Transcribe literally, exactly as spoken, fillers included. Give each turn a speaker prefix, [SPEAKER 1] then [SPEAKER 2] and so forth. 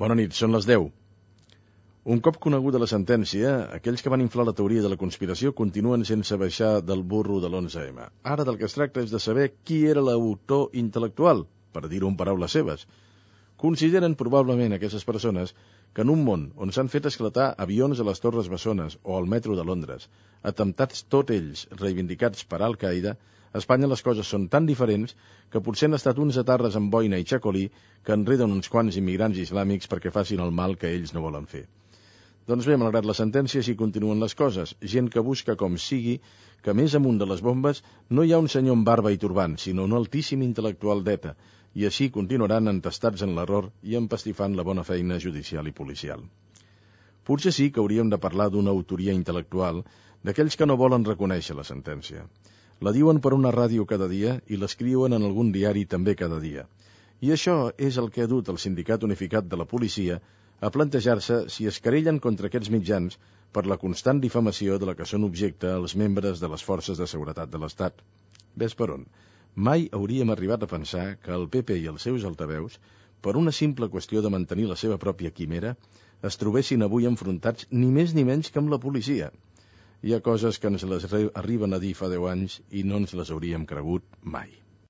[SPEAKER 1] Bona nit, són les deu. Un cop coneguda la sentència, aquells que van inflar la teoria de la conspiració continuen sense baixar del burro de l'onze eme. Ara del que es tracta és de saber qui era l'autor intel·lectual, per dir-ho en paraules seves. Consideren probablement aquestes persones que en un món on s'han fet esclatar avions a les Torres Bessones o al metro de Londres, atemptats tots ells reivindicats per Al-Qaeda, a Espanya les coses són tan diferents que potser han estat uns atarres amb boina i xacolí que enreden uns quants immigrants islàmics perquè facin el mal que ells no volen fer. Doncs bé, malgrat la sentència, així continuen les coses. Gent que busca com sigui que més amunt de les bombes no hi ha un senyor amb barba i turbant, sinó un altíssim intel·lectual d'ETA, i així continuaran entestats en l'error i empastifant la bona feina judicial i policial. Potser sí que hauríem de parlar d'una autoria intel·lectual d'aquells que no volen reconèixer la sentència. La diuen per una ràdio cada dia i l'escriuen en algun diari també cada dia. I això és el que ha dut el Sindicat Unificat de la Policia a plantejar-se si es querellen contra aquests mitjans per la constant difamació de la que són objecte els membres de les forces de seguretat de l'Estat. Ves per on? Mai hauríem arribat a pensar que el pe pe i els seus altaveus, per una simple qüestió de mantenir la seva pròpia quimera, es trobessin avui enfrontats ni més ni menys que amb la policia. Hi ha coses que ens les arriben a dir fa deu anys i no ens les hauríem cregut mai.